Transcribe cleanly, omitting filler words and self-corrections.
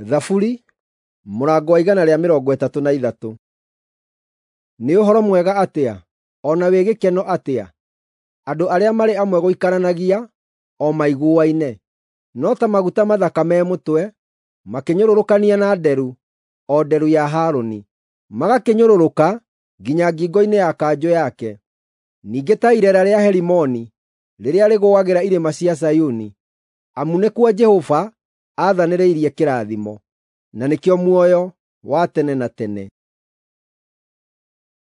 Thaburi mũrango wa 133. Nĩ ũhoro mwega atĩa, o na wĩ gĩkeno atĩa, andũ arĩa marĩ amwe gũikaranagia, o maiguaine! No ta maguta mathaka me mũtwe, makĩnyũrũrũkania na nderu, o nderu ya Harũni, magakĩnyũrũrũka nginya ngingo-inĩ ya kanjũ yake. Ningĩ ta ireera rĩa Herimoni rĩrĩa rĩgũagĩra irĩma cia Zayuni, amu nĩkuo Jehova aathanĩrĩirie kĩrathimo, na nĩkĩo muoyo wa tene na tene.